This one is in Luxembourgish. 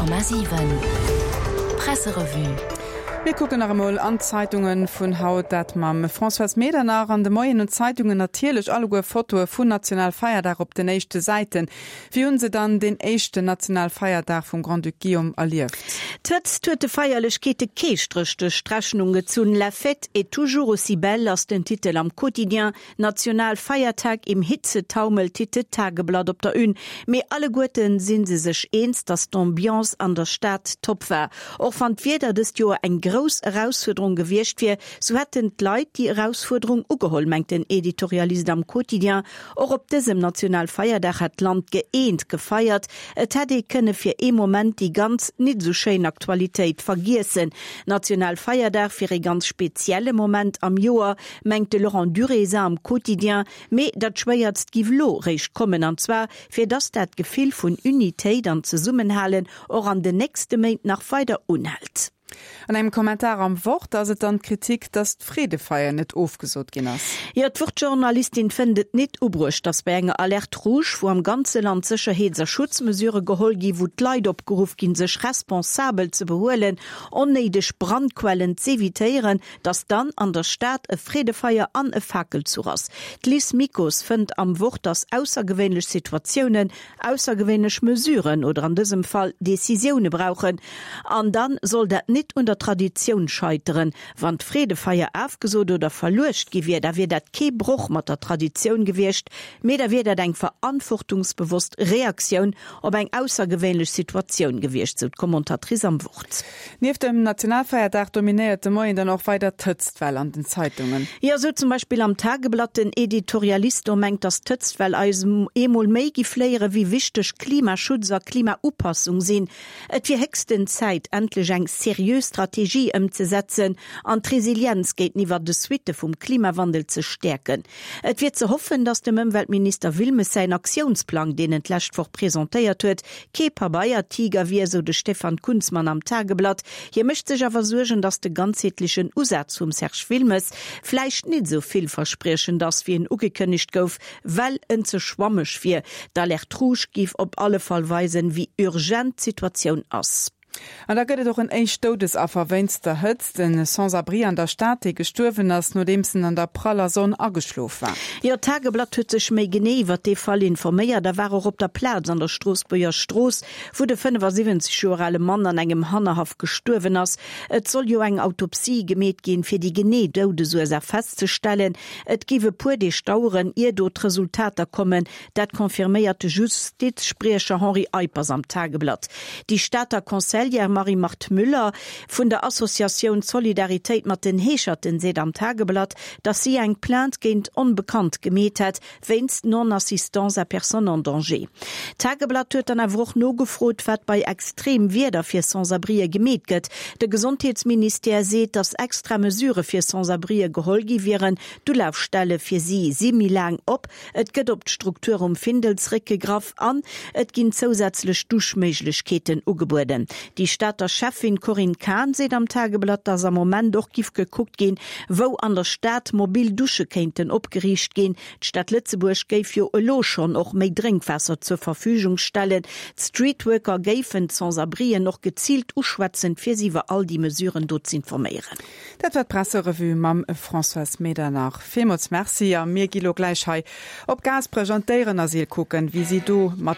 100,7 Presserevue. Mir kucken nach emol an d'Zeitunge vun haut, dat mam Françoise Medernach. An de Moien hunn d'Zeitungen natierlech alleguer Fotoe vun Nationalfeierdag op den éischte Säiten. Wéi hunn se dann deen éischten Nationalfeierdag vum Grand-Duc Guillaume erlieft? D'Hëtzt huet de Feierlechkeete kee Stréch duerch d'Rechnung gezunn. La fête est toujours aussi belle ass den Titel am Quotidien. Nationalfeiertag im Hitzetaumel titelt d'Tageblatt op der Une. Mee alleguerten si se sech eens, datt d'Ambiance an der Stad top war. Och wann d'Wieder dëst Joer eng grouss Erausfuerderung gewiescht wier, sou hätten d'Leit déi Erausfuerderung ugeholl, mengt den Editorialist am Quotidien. Och op dësem Nationalfeierdag hätt d'Land gëeent gefeiert. Et hätt ee kënne fir ee Moment déi ganz nit esou schéin Aktualitéit vergiessen. Nationalfeierdag wier ee ganz spezielle Moment am Joer, mengt de Laurent Durézin am Quotidien, mee dat Schwéiertst giff elo réischt kommen, an zwar fir dass dat Gefill vun Unitéit an Zesummenhalen och an den nächste Méint nach weider unhält. An engem Kommentar am Wort ass et dann d'Kritik, dass d'Freedefeier net ofgesot ginn ass. Jo, d'Wort-Journalistin fënnt et nit ubruecht, dass bei enger Alerte rouge, wou am ganze Land Sécherheets a Schutzmesurë geholl ginn, wou d'Leit opgeruff ginn, sech responsabel ze behuelen, onnéideg Brandquellen z'evitéieren, Dass dann an der Stad e Freedefeier an e Fakelzuch ass. D'Liz Mikos fënnt am Wort, dass aussergewéinlech Situatiounen aussergewéinlech Mesuren oder an dësem Fall Decisioune brauchen. An dann soll dat nit un der Traditioun scheiteren. Wann d'Freedefeier afgesot oder verluecht gi wier, da wier dat kee Broch mat der Traditioun gewiescht, mee da wier dat eng verantwortungsbewosst Reaktioun op eng aussergewéinlech Situatioun gewiescht, sou d'Commentatrice am Wort. Nieft dem Nationalfeierdag dominéiert de Moien dann och weider d'Hëtztwell an den Zeitungen. Jo, sou zum Beispill am Tageblatt. Den Editorialist do mengt, datt d'Hëtztwell eis eemol méi giff léieren, wéi wichteg Klimaschutz a Klimaupassung sinn. Et wier héchsten Zäit, endlech eng seriö Strategie ëmzesetzen an d'Resilienz géinteniwwer de Suitte vum Klimawandel ze stäerken. Et wier ze hoffen, datt dem Ëmweltminister Wilmes säin Aktiounsplang, deen en d'lescht Woch presentéiert huet, kee Pabeiertiger wier, sou de Stefan Kunzmann am Tageblatt. Hie mécht sech awer Suergen, datt de ganzheetlechen Usaz vum Serge Wilmes vläicht nit esou villverspriechend ass, wéi en ugekënnegt gouf, well en ze schwammeg wier. D'Alerte rouge géif op alle Fall weisen, wéi urgent d'Situatioun ass. An da gëtt et och en éischt Doudesaffer wéinst der Hëtzt, en Sans-abri an der Stad, dee gestuerwen ass, nodeems en an der praller Sonn ageschlof war. Jo, d'Tageblatt huet sech méi genee iwwert dee Fall informéiert a war och op der Plaz an der Stroossbuerger Strooss, wou de 75 Joer ale Mann an engem Hannerhaff gestuerwen ass. Et soll jo eng Autopsie gemeet ginn, fir déi genee Doudesursaach festzestellen. Et géif e puer Deeg daueren, ier do d'Resultater kommen. Dat confirméiert de Justizspriecher Henri Eippers am Tageblatt. Déi Stater Conseillère Marie-Marthe Müller vun der Associatioun Solidaritéit mat den Heescherten seet am Tageblatt, datt si eng Plainte géint Onbekannt gemeet hätt, wéinst Non-assistance à personne en danger. D'Tageblatt huet dann awer och nogefrot, wat bei Extremwieder fir Sans-abrien gemeet gëtt. De Gesondheetsministère seet, datt extra Mesurë fir Sans-abrien geholl gi wieren. D'Ulafstelle fir si si méi laang op. Et gëtt op d'Struktur um Findel zeréckgegraff an et ginn zousätzlech Duschméiglechkeeten ugebueden. Déi Stater Schäffin Corinne Cahen seet am Tageblatt, datt am Moment och giff gekuckt ginn, wou an der Stad mobil Dusche kéinten opgeriicht ginn. D'Stad Lëtzebuerg géif jo elo schonn och méi Drénkwaasser zur Verfügung stellen. D'Streetworker géifen d'Sans-abrien och geziilt uschwätzen, fir si iwwer all déi Mesuren do z'informéieren. Dat war d'Presserevue mam Françoise Medernach. Villmools Merci a mir gi lo gläich hei op Gaasperech an d'Déierenasyl kucken, wéi si do mat.